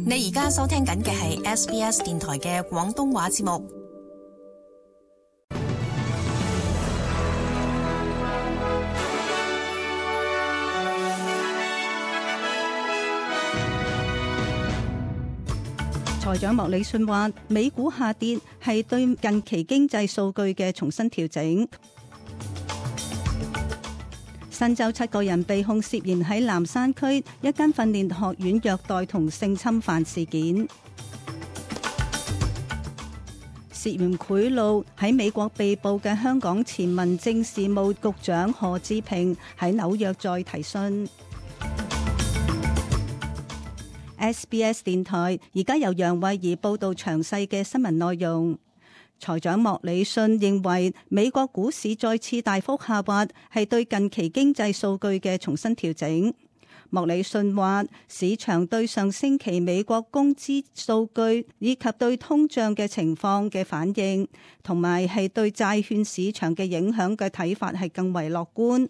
你而家收聽緊嘅係 SBS 電台嘅廣東話節目。財長莫里遜話，美股下跌係對近期經濟數據嘅重新調整。新州7個人被控涉嫌喺南山區一間訓練學院虐待同性侵犯事件。涉嫌賄賂喺美國被捕嘅香港前民政事務局長何志平喺紐約再提訊。SBS 電台而家由楊慧儀報道詳細嘅新聞內容。財長莫里遜認為美國股市再次大幅下滑係對近期經濟數據嘅重新調整。莫里遜話，市場對上星期美國工資數據以及對通脹嘅情況嘅反應，同埋係對債券市場嘅影響嘅睇法係更為樂觀。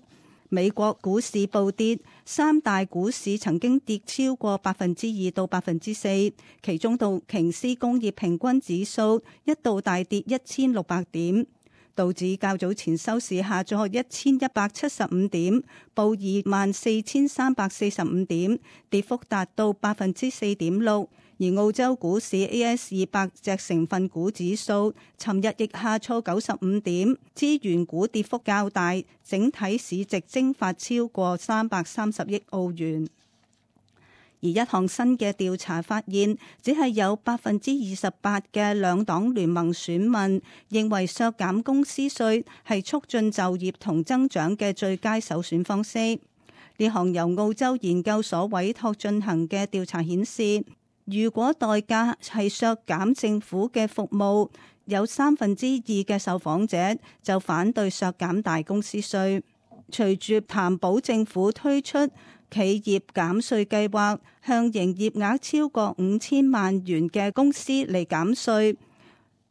美國股市暴跌，三大股市曾經跌超過2%到4%，其中道瓊斯工業平均指數一度大跌1600點，道指較早前收市下咗1175點，報24345點，跌幅達到4.6%。而澳洲股市 AS200 隻成分股指數尋日亦下挫95點，資源股跌幅較大，整體市值蒸發超過330億澳元。而一項新嘅調查發現，只係有28%嘅兩黨聯盟選民認為削減公司稅係促進就業同增長嘅最佳首選方式。呢項由澳洲研究所委託進行嘅調查顯示，如果代價係削減政府嘅服務，有2/3嘅受訪者就反對削減大公司稅。隨住談保政府推出企業減稅計劃，向營業額超過5000萬元嘅公司嚟減稅，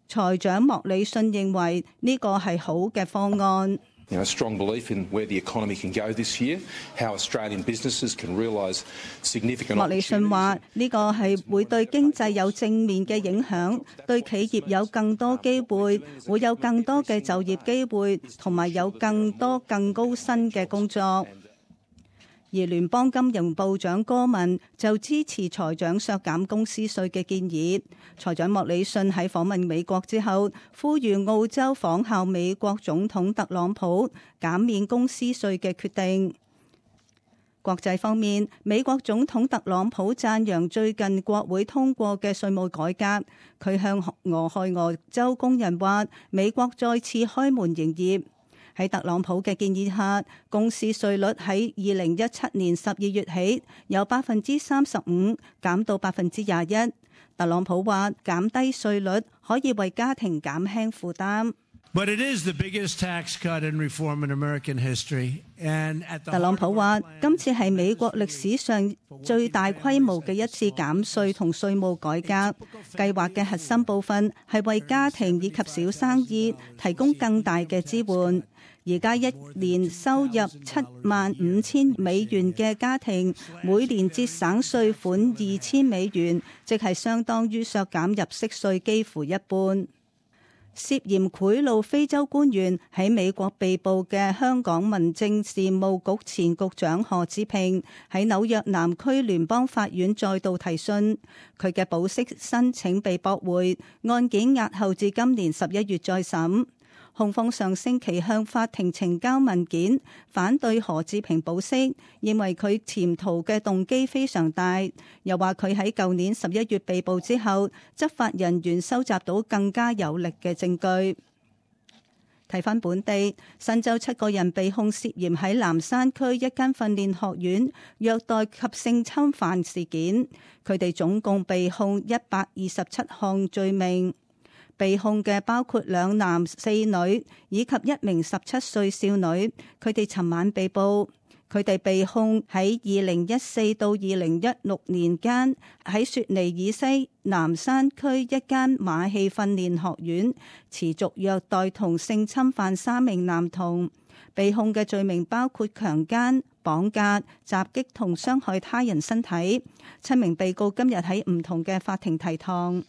財長莫里遜認為呢個係好嘅方案。A strong belief in where the economy can go this year, how Australian businesses can realise significant. 莫里遜話：呢個係會對經濟有正面嘅影響，對企業有更多機會，會有更多嘅就業機會，同埋有更多更高薪嘅工作。而聯邦金融部長戈文就支持財長削減公司稅嘅建議。財長莫里遜喺訪問美國之後，呼籲澳洲仿效美國總統特朗普減免公司稅嘅決定。國際方面，美國總統特朗普讚揚最近國會通過嘅稅務改革。佢向俄亥俄州工人話，美國再次開門營業。喺特朗普嘅建議下，公司稅率喺2017年12月起由35%減到21%。特朗普話減低稅率可以為家庭減輕負擔。But it is the biggest tax cut and reform in American history. And at the 特朗普話今次係美國歷史上最大規模嘅一次減稅同稅務改革。計劃嘅核心部分係為家庭以及小生意提供更大嘅支援。而家一年收入75000美元嘅家庭，每年節省稅款2000美元，即係相當於削減入息稅幾乎一半。涉嫌賄賂非洲官員喺美國被捕嘅香港民政事務局前局長何志平喺紐約南區聯邦法院再度提訊，佢嘅保釋申請被駁回，案件押後至今年11月再審。控方上星期向法庭呈交文件，反對何志平保釋，認為佢潛逃嘅動機非常大，又話佢喺舊年11月被捕之後，執法人員收集到更加有力嘅證據。睇返本地，新州7個人被控涉嫌喺南山區一間訓練學院虐待及性侵犯事件，佢哋總共被控127項罪名。被控嘅包括2男4女以及一名17歲少女，佢哋尋晚被捕。佢哋被控喺2014到2016年間喺雪梨以西南山區一間馬戲訓練學院持續虐待同性侵犯3名男童。被控嘅罪名包括強姦、綁架、襲擊同傷害他人身體。7名被告今日喺唔同嘅法庭提堂。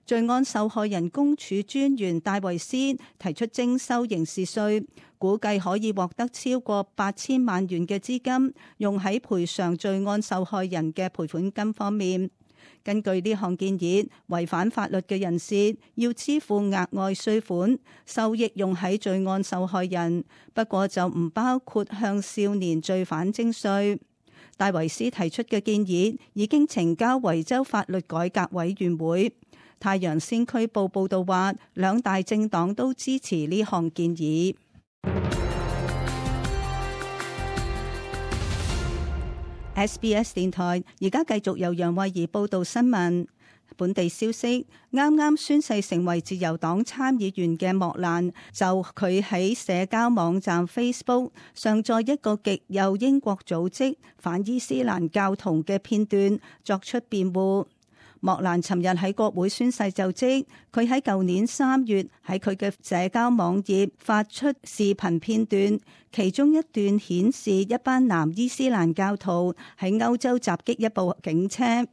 罪案受害人公署專員戴維斯提出徵收刑事稅，估計可以獲得超過8000萬元嘅資金，用喺賠償罪案受害人嘅賠款金方面。根據呢項建議，違反法律嘅人士要支付額外稅款，收益用喺罪案受害人，不過就唔包括向少年罪犯徵稅。戴維斯提出嘅建議已經呈交維州法律改革委員會。太陽先驅報報道話，兩大政黨都支持呢項建議。SBS 電台而家繼續由楊慧儀報道新聞。本地消息，啱啱宣誓成為自由黨參議員嘅莫蘭，就佢喺社交網站 Facebook 上載一個極右英國組織反伊斯蘭教徒嘅片段作出辯護。莫蘭尋日喺國會宣誓就職，佢喺舊年3月喺佢嘅社交網頁發出視頻片段，其中一段顯示一班男伊斯蘭教徒喺歐洲襲擊一部警車。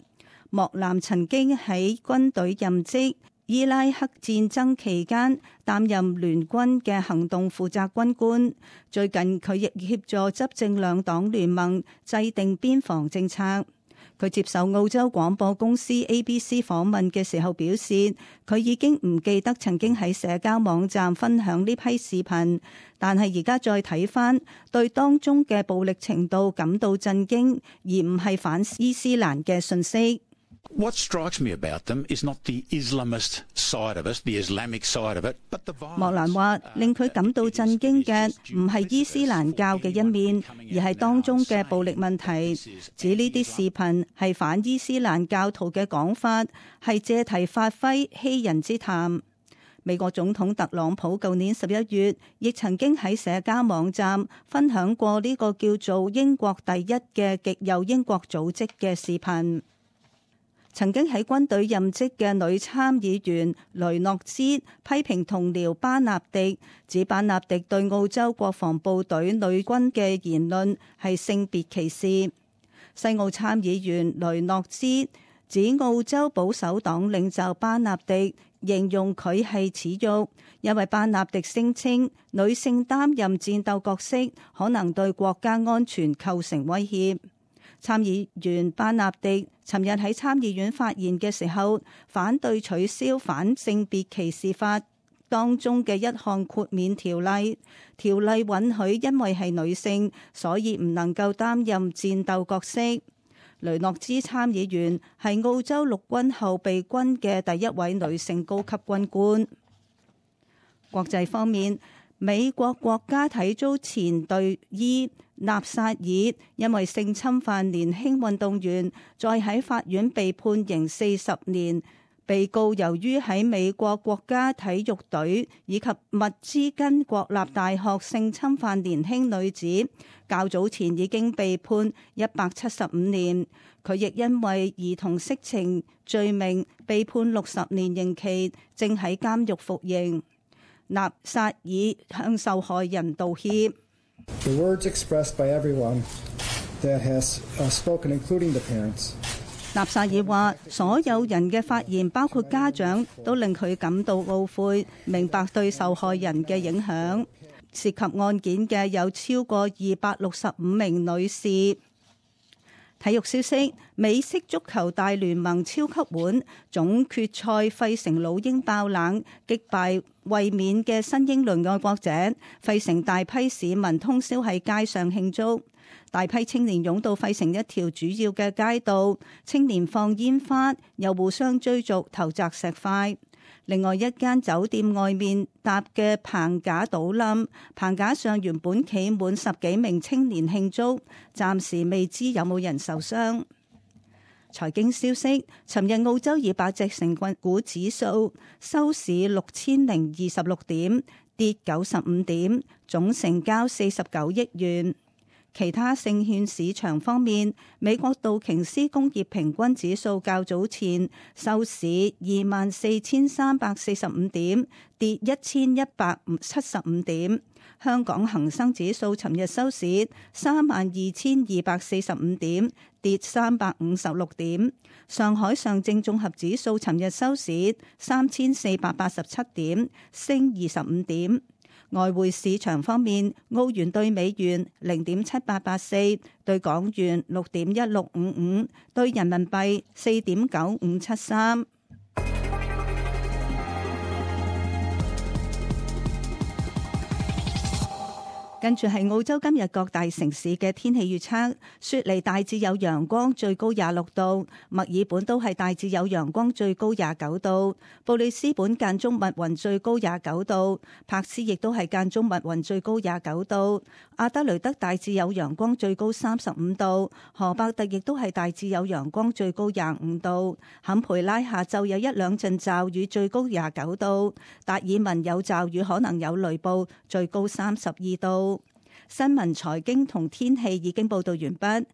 莫蘭曾經喺軍隊任職，伊拉克戰爭期間擔任聯軍嘅行動負責軍官。最近佢亦協助執政兩黨聯盟制定邊防政策。佢接受澳洲廣播公司 ABC 訪問嘅時候表示，佢已經唔記得曾經喺社交網站分享呢批視頻，但係而家再睇返，對當中嘅暴力程度感到震驚，而唔係反伊斯蘭嘅訊息。What strikes me about them is not the Islamist side of it, the Islamic side of it, but the violence. 莫蘭話，令佢感到震驚嘅唔係伊斯蘭教嘅一面，而係當中嘅暴力問題。指呢啲視頻係反伊斯蘭教徒嘅講法，係借題發揮欺人之談。美國總統特朗普舊年11月亦曾經喺社交網站分享過呢個叫做英國第一嘅極右英國組織嘅視頻。曾經喺軍隊任職嘅女參議員雷諾茲批評同僚巴納迪，指巴納迪對澳洲國防部隊女軍嘅言論係性別歧視。西澳參議員雷諾茲指澳洲保守黨領袖巴納迪形容佢係恥辱，因為巴納迪聲稱女性擔任戰鬥角色可能對國家安全構成威脅。參議員巴納迪尋日喺參議院發言嘅時候，反對取消反性別歧視法當中嘅一項豁免條例。條例允許因為係女性，所以唔能夠擔任戰鬥角色。雷諾茲參議員係澳洲陸軍後備軍嘅第一位女性高級軍官。國際方面，美國國家體操前隊醫納薩爾因為性侵犯年輕運動員，再喺法院被判刑40年。被告由於喺美國國家體育隊以及密芝根國立大學性侵犯年輕女子，較早前已經被判175年。佢亦因為兒童色情罪名被判60年刑期，正喺監獄服刑。納薩爾向受害人道歉。The words expressed by everyone that has spoken, including the parents. 納薩爾話：所有人嘅發言，包括家長，都令佢感到懊悔，明白對受害人嘅影響。涉及案件嘅有超過265名女士。體育消息：美式足球大聯盟超級碗總決賽，費城老鷹爆冷擊敗衛冕嘅新英倫愛國者，費城大批市民通宵喺街上慶祝，大批青年湧到費城一條主要嘅街道，青年放煙花，又互相追逐投擲石塊。另外一間酒店外面搭嘅棚架倒冧，棚架上原本企滿10幾名青年慶祝，暫時未知有冇人受傷。財經消息：尋日澳洲200隻成分股指數收市6026點，跌95點，總成交49億元。其他證券市場方面，美國道瓊斯工業平均指數較早前收市24,345點，跌1,175點。香港恒生指數尋日收市32,245點，跌356點。上海上證綜合指數尋日收市3,487點，升25點。外匯市場方面，澳元兌美元0.7884，兌港元6.1655，兌人民幣4.9573。跟住係澳洲今日各大城市嘅天氣預測：雪梨大致有陽光，最高26度；墨爾本都係大致有陽光，最高29度；布里斯本間中密雲，最高29度；柏斯亦都係間中密雲，最高29度；阿德雷德大致有陽光，最高35度；荷伯特亦都係大致有陽光，最高25度；坎培拉下晝有一兩陣驟雨，最高29度；達爾文有驟雨，可能有雷暴，最高32度。新聞、財經同天氣已經報道完畢。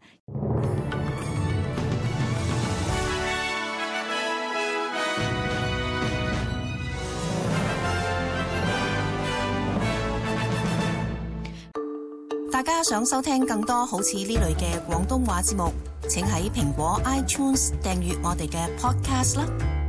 大家想收聽更多好似呢類嘅廣東話節目，請喺蘋果 iTunes 訂閱我哋嘅 Podcast 啦。